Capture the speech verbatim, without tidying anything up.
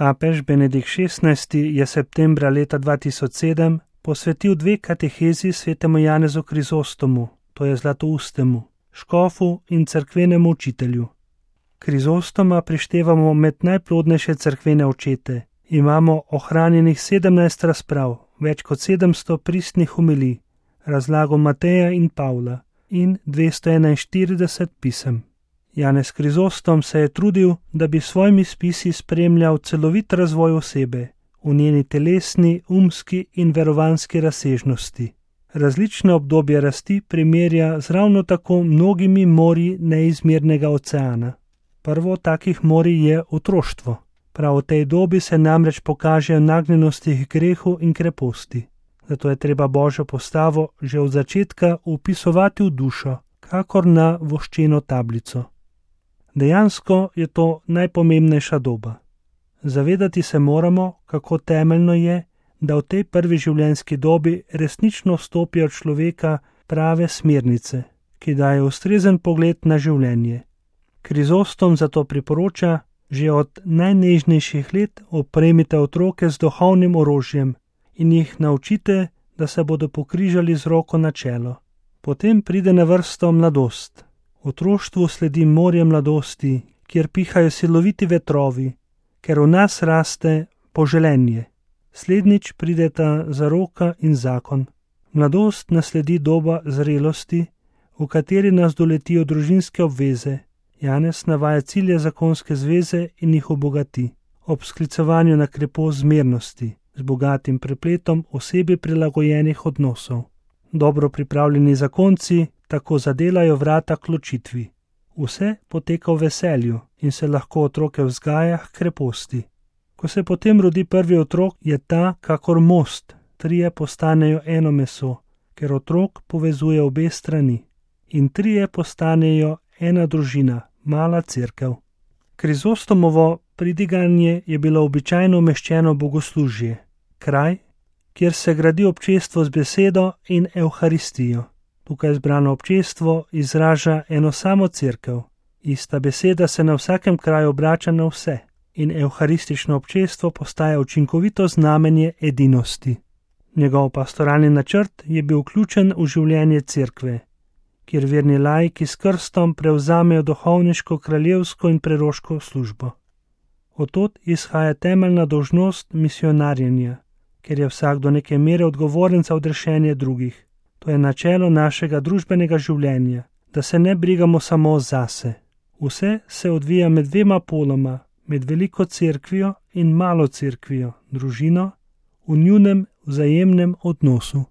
Papež Benedikt šestnajsti je septembra leta dva tisoč sedem posvetil dve katehezi svetemu Janezu Krizostomu, to je Zlatoustemu, škofu in cerkvenemu učitelju. Krizostoma prištevamo med najplodnejše cerkvene očete. Imamo ohranjenih sedemnajst razprav, več kot sedemsto pristnih homilij, razlago Mateja in Pavla in dvesto enainštirideset pisem. Janez Krizostom se je trudil, da bi s svojimi spisi spremljal celovit razvoj osebe v njeni telesni, umski in verovanski razsežnosti. Različne obdobje rasti primerja z ravno tako mnogimi morji neizmernega oceana. Prvo takih morij je otroštvo. Prav v tej dobi se namreč pokažejo nagnjenosti k grehu in kreposti. Zato je treba Božjo postavo že od začetka vpisovati v dušo, kakor na voščeno tablico. Dejansko je to najpomembnejša doba. Zavedati se moramo, kako temeljno je, da v tej prvi življenjski dobi resnično vstopijo v človeka prave smernice, ki dajo ustrezen pogled na življenje. Krizostom zato priporoča, že od najnežnejših let opremite otroke z duhovnim orožjem in jih naučite, da se bodo pokrižali z roko na čelo. Potem pride na vrsto mladost. Otroštvu sledi morje mladosti, kjer pihajo siloviti vetrovi, ker v nas raste poželenje. Slednjič prideta zaroka in zakon. Mladost nasledi doba zrelosti, v kateri nas doletijo družinske obveze. Janez navaja cilje zakonske zveze in jih obogati, ob sklicovanju na krepost zmernosti, z bogatim prepletom osebi prilagojenih odnosov. Dobro pripravljeni zakonci tako zadelajo vrata k ločitvi. Vse poteka v veselju in se lahko otroke vzgaja k kreposti. Ko se potem rodi prvi otrok, je ta kakor most, trije postanejo eno meso, ker otrok povezuje obe strani. In trije postanejo ena družina, mala cerkev. Krizostomovo pridiganje je bilo običajno umeščeno bogoslužje, kraj, kjer se gradi občestvo z besedo in evharistijo. Tukaj zbrano občestvo izraža eno samo cerkev. Ista beseda se na vsakem kraju obrača na vse in evharistično občestvo postaja učinkovito znamenje edinosti. Njegov pastoralni načrt je bil vključen v življenje cerkve, kjer verni laiki s krstom prevzamejo duhovniško, kraljevsko in preroško službo. Od izhaja temeljna dolžnost misionarjenja, ker je vsak do neke mere odgovoren za odrešenje drugih. To je načelo našega družbenega življenja, da se ne brigamo samo zase. Vse se odvija med dvema poloma, med veliko cerkvijo in malo cerkvijo, družino, v njunem vzajemnem odnosu.